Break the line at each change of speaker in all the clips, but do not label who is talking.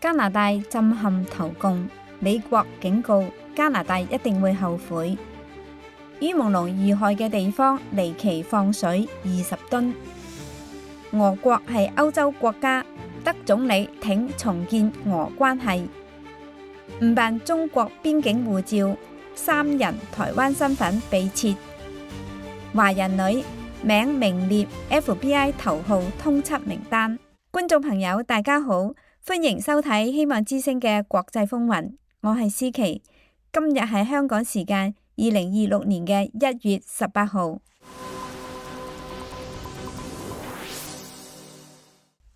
加拿大震撼投共，美國警告加拿大一定會後悔。於朦朧遇害嘅地方離奇放水20噸。俄國係歐洲國家，德總理挺重建俄關係。誤辦中國邊境護照，3人台灣身份被撤。華人女名名列 FBI 頭號通緝名單。觀眾朋友大家好，歡迎收睇希望之聲嘅國際風雲，我係思琪。今日係香港時間2026年嘅1月18號。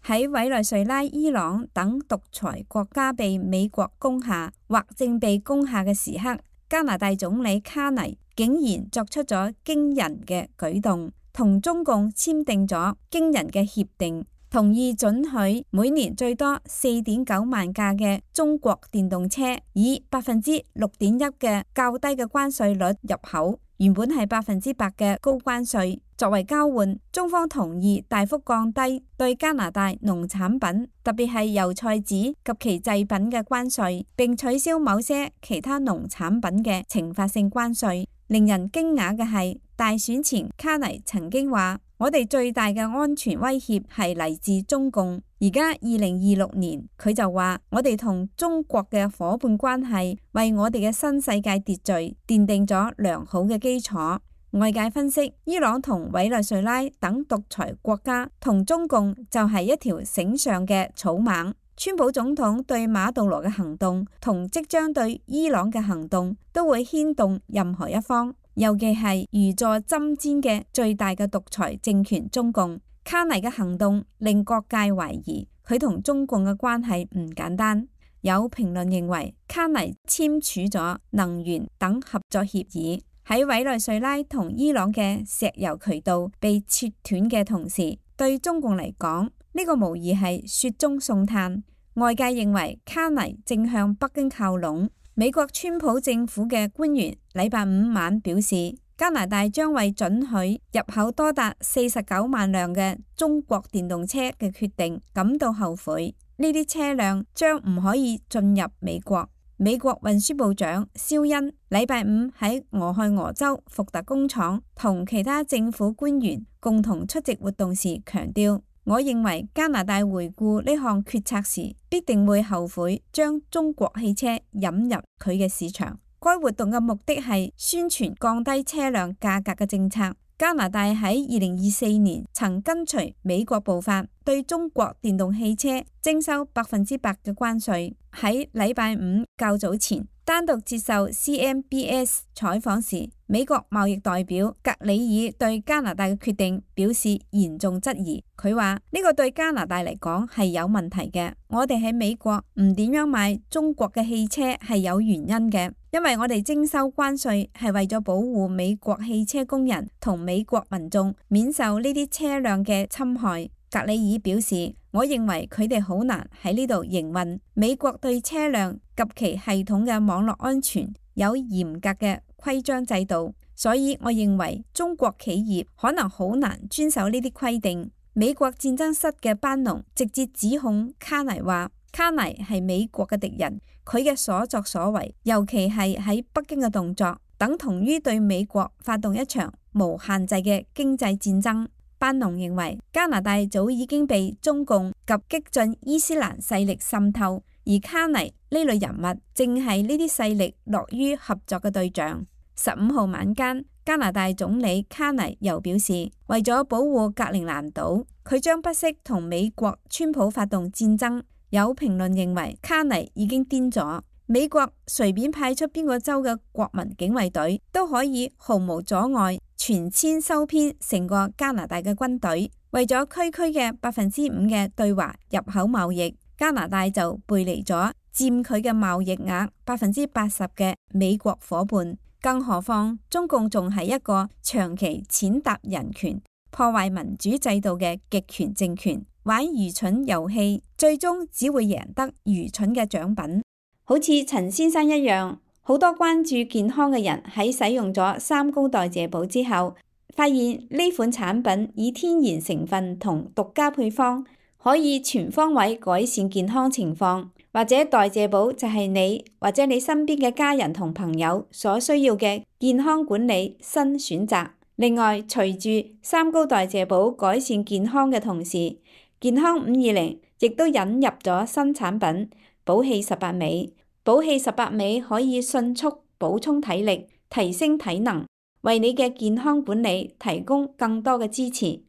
喺委內瑞拉、伊朗等獨裁國家被美國攻下或正被攻下嘅時刻，加拿大總理卡尼竟然作出咗驚人嘅舉動，同中共簽訂咗驚人嘅協定，同意准許每年最多4.9萬架嘅中國電動車以6.1%嘅較低嘅關稅率入口，原本係8%嘅高關稅。作為交換，中方同意大幅降低對加拿大農產品，特別係油菜籽及其製品嘅關稅，並取消某些其他農產品嘅懲罰性關稅。令人驚訝嘅係，大選前卡尼曾經話：我哋最大嘅安全威脅係嚟自中共。而家2026年，佢就話：我哋同中國嘅伙伴關係為我哋嘅新世界秩序奠定咗良好嘅基礎。外界分析，伊朗同委內瑞拉等獨裁國家同中共就係一條繩上嘅草蜢。川普總統對馬杜羅嘅行動同即將對伊朗嘅行動都會牽動任何一方，尤其係如坐針氈嘅最大嘅獨裁政權中共。卡尼嘅行動令各界懷疑佢同中共嘅關係唔簡單。有評論認為，卡尼簽署咗能源等合作協議，喺委內瑞拉同伊朗嘅石油渠道被切斷嘅同時，對中共嚟講，呢個無疑係雪中送炭。外界認為卡尼正向北京靠攏。美國川普政府嘅官員禮拜五晚表示，加拿大將為准許入口多達49萬輛嘅中國電動車嘅決定感到後悔。呢啲車輛將唔可以進入美國。美國運輸部長肖恩禮拜五喺俄亥俄州福特工廠同其他政府官員共同出席活動時強調：我認為加拿大回顧呢項決策時，必定會後悔將中國汽車引入佢嘅市場。該活動嘅目的係宣傳降低車輛價格嘅政策。加拿大喺2024年曾跟隨美國步伐，對中國電動汽車徵收100%嘅關稅。喺禮拜五較早前，單獨接受 CNBS 採訪時，美國貿易代表格里爾對加拿大嘅決定表示嚴重質疑。佢話：呢個對加拿大嚟講係有問題嘅。我哋喺美國唔點樣買中國嘅汽車係有原因嘅，因為我哋徵收關稅係為咗保護美國汽車工人同美國民眾免受呢啲車輛嘅侵害。格里爾表示：我認為佢哋好難喺呢度營運。美國對車輛及其系統嘅網絡安全有嚴格嘅規章制度，所以我認為中國企業可能好難遵守呢啲規定。美國戰爭室嘅班農直接指控卡尼話：卡尼係美國嘅敵人，佢嘅所作所為，尤其係喺北京嘅動作，等同於對美國發動一場無限制嘅經濟戰爭。班農認為加拿大早已經被中共及激進伊斯蘭勢力滲透，而卡尼呢類人物正係呢啲勢力樂於合作嘅對象。15號晚間，加拿大總理卡尼又表示，為咗保護格陵蘭島，佢將不惜同美國川普發動戰爭。有評論認為卡尼已經癲咗，美國隨便派出邊個州嘅國民警衛隊都可以毫無阻礙全遷收編成個加拿大嘅軍隊。為咗區區嘅5%嘅對華入口貿易，加拿大就背離咗佔佢嘅貿易額80%嘅美國伙伴。更何況中共仲係一個長期踐踏人權、破壞民主制度嘅極權政權，玩愚蠢遊戲，最終只會贏得愚蠢嘅獎品。好似陳先生一樣，好多關注健康嘅人喺使用咗3高代謝寶之後，發現呢款產品以天然成分同獨家配方，可以全方位改善健康情況，或者代謝寶就係你或者你身邊嘅家人同朋友所需要嘅健康管理新選擇。另外，隨住三高代謝寶改善健康嘅同時，健康520亦都引入咗新產品寶氣18味。寶氣18味可以迅速補充體力，提升體能，為你嘅健康管理提供更多嘅支持。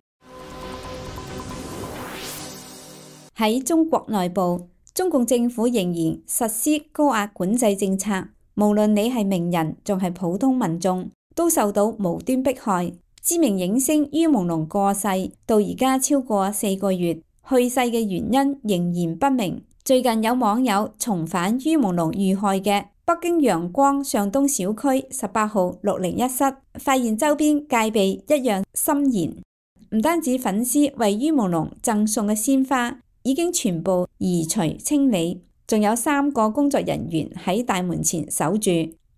喺中國內部，中共政府仍然實施高壓管制政策，無論你係名人仲係普通民眾，都受到無端迫害。知名影星于朦朧過世，到而家超過4個月，去世嘅原因仍然不明。最近有網友重返于朦朧遇害嘅北京陽光上東小區18號601室，發現周邊戒備一樣森嚴。唔單止粉絲為于朦朧贈送嘅鮮花已經全部移除清理，仲有3個工作人員喺大門前守住。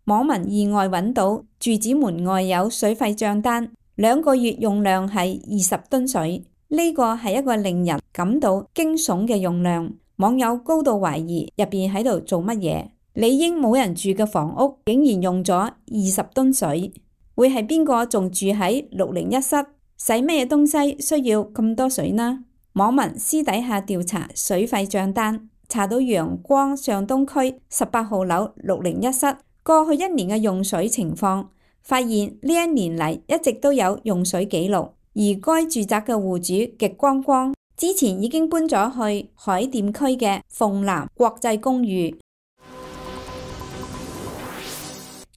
網民意外揾到住址門外有水費賬單，2個月用量係20噸水，呢個係一個令人感到驚悚嘅用量。網友高度懷疑入邊喺度做乜嘢？理應冇人住嘅房屋竟然用咗20噸水，會係邊個仲住喺601室？使咩東西需要咁多水呢？網民私底下調查水費賬單，查到陽光上東區18號樓601室過去1年嘅用水情況，發現呢1年嚟一直都有用水記錄，而該住宅嘅戶主極光光之前已經搬咗去海淀區嘅鳳南國際公寓。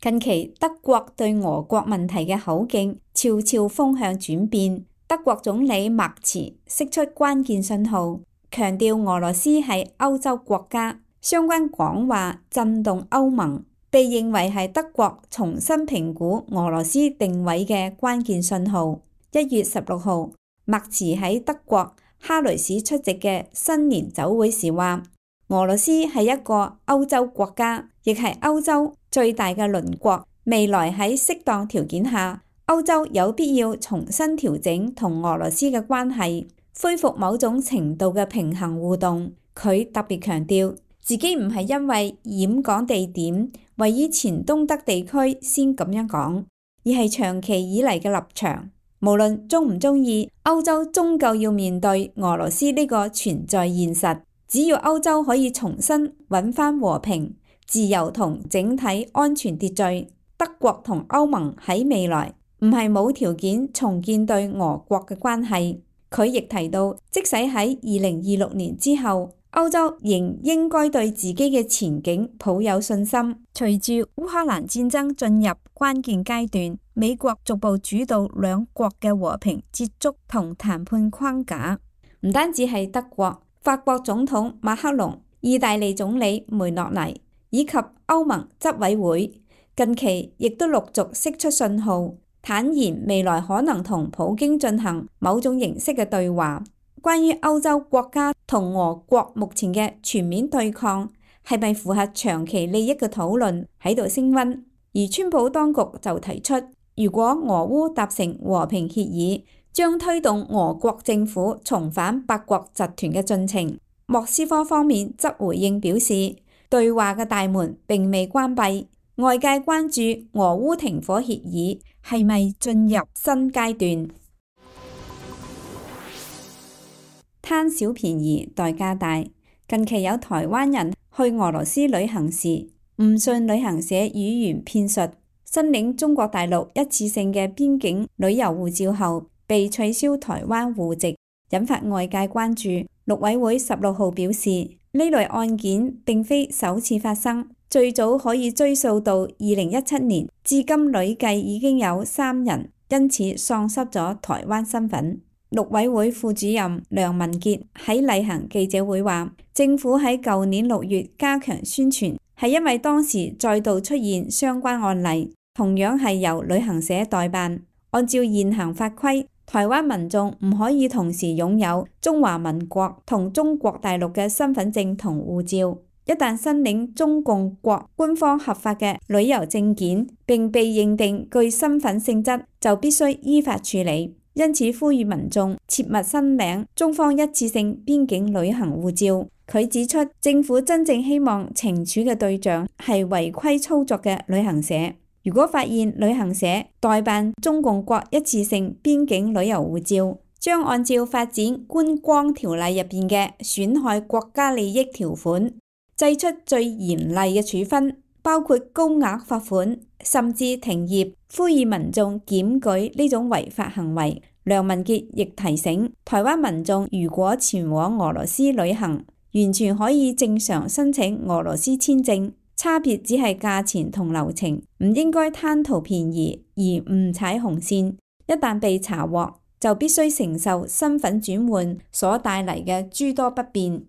近期德國對俄國問題嘅口徑悄悄風向轉變。德國總理默茨釋出關鍵信號，強調俄羅斯係歐洲國家，相關講話震動歐盟，被認為係德國重新評估俄羅斯定位嘅關鍵信號。1月16號，默茨喺德國哈雷市出席嘅新年酒會時話，俄羅斯係一個歐洲國家，亦係歐洲最大嘅鄰國，未來喺適當條件下，歐洲有必要重新調整同俄羅斯嘅關係，恢復某種程度嘅平衡互動。佢特別強調，自己唔係因為演講地點位於前東德地區先咁樣講，而係長期以嚟嘅立場。無論鍾唔鍾意，歐洲終究要面對俄羅斯呢個存在現實。只要歐洲可以重新揾返和平、自由同整體安全秩序，德國同歐盟喺未來唔係冇條件重建對俄國嘅關係。佢亦提到，即使喺2026年之後，歐洲仍應該對自己嘅前景抱有信心。隨住烏克蘭戰爭進入關鍵階段，美國逐步主導兩國嘅和平接觸同談判框架。唔單止係德國，法國總統馬克龍、意大利總理梅洛尼以及歐盟執委會近期亦都陸續釋出信號，坦言未來可能同普京進行某種形式嘅對話。關於歐洲國家同俄國目前嘅全面對抗係咪符合長期利益嘅討論喺度升溫，而川普當局就提出，如果俄烏達成和平協議，將推動俄國政府重返八國集團嘅進程。莫斯科方面則回應表示，對話嘅大門並未關閉。外界關注俄烏停火協議係咪進入新階段。貪小便宜代價大。近期有台灣人去俄羅斯旅行時，誤信旅行社語言騙術，申領中國大陸一次性嘅邊境旅遊護照後，被取消台灣戶籍，引發外界關注。陸委會16號表示，呢類案件並非首次發生，最早可以追溯到2017年，至今累計已經有3人因此喪失咗台灣身份。陸委會副主任梁文傑喺例行記者會話，政府喺舊年6月加強宣傳，係因為當時再度出現相關案例，同樣係由旅行社代辦。按照現行法規，台灣民眾唔可以同時擁有中華民國同中國大陸嘅身份證同護照。一旦申領中共國官方合法嘅旅遊證件並被認定具身份性質，就必須依法處理。因此呼籲民眾切勿申領中方一次性邊境旅行護照。佢指出，政府真正希望懲處嘅對象係違規操作嘅旅行社。如果發現旅行社代辦中共國一次性邊境旅遊護照，將按照發展觀光條例入邊嘅損害國家利益條款，祭出最嚴厲嘅處分，包括高額罰款，甚至停業。呼籲民眾檢舉呢種違法行為。梁文傑亦提醒，台灣民眾如果前往俄羅斯旅行，完全可以正常申請俄羅斯簽證，差別只係價錢同流程，唔應該貪圖便宜而誤踩紅線。一旦被查獲，就必須承受身份轉換所帶嚟嘅諸多不便。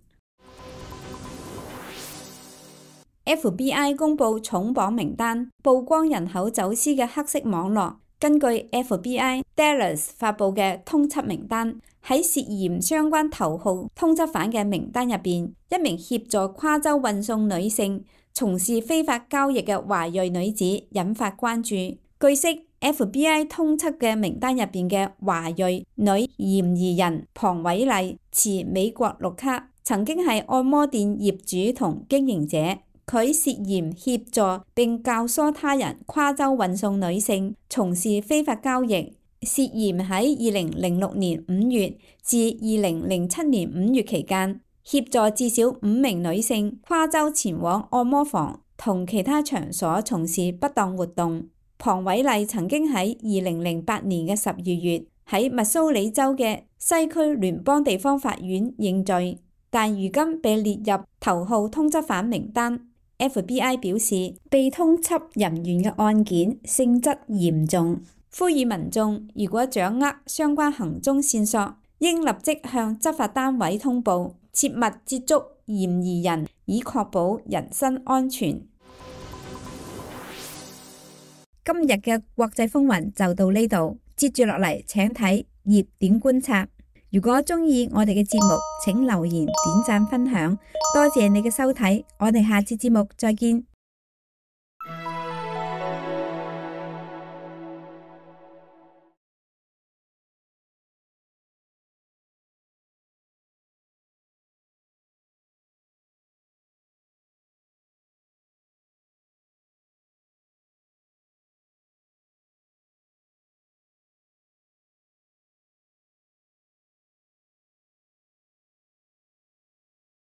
FBI 公布重磅名單，曝光人口走私嘅黑色網絡。根據 FBI Dallas 發布嘅通緝名單，喺涉嫌相關頭號通緝犯嘅名單入邊，一名協助跨州運送女性從事非法交易嘅華裔女子引發關注。據悉， FBI 通緝嘅名單入邊嘅華裔女嫌疑人龐偉麗持美國綠卡，曾經係按摩店業主同經營者。佢涉嫌協助並教唆他人跨州運送女性從事非法交易，涉嫌喺2006年5月至2007年5月期間，協助至少5名女性跨州前往按摩房同其他場所從事不當活動。龐偉麗曾經喺2008年嘅12月喺密蘇里州嘅西區聯邦地方法院認罪，但如今被列入頭號通緝犯名單。FBI 表示，被通緝人員嘅案件性質嚴重，呼籲民眾如果掌握相關行蹤線索，應立即向執法單位通報，切勿接觸嫌疑人，以確保人身安全。今日嘅國際風雲就到呢度，接住落嚟請睇熱點觀察。如果中意我哋嘅節目，請留言、點讚、分享，多謝你嘅收睇，我哋下次節目再見。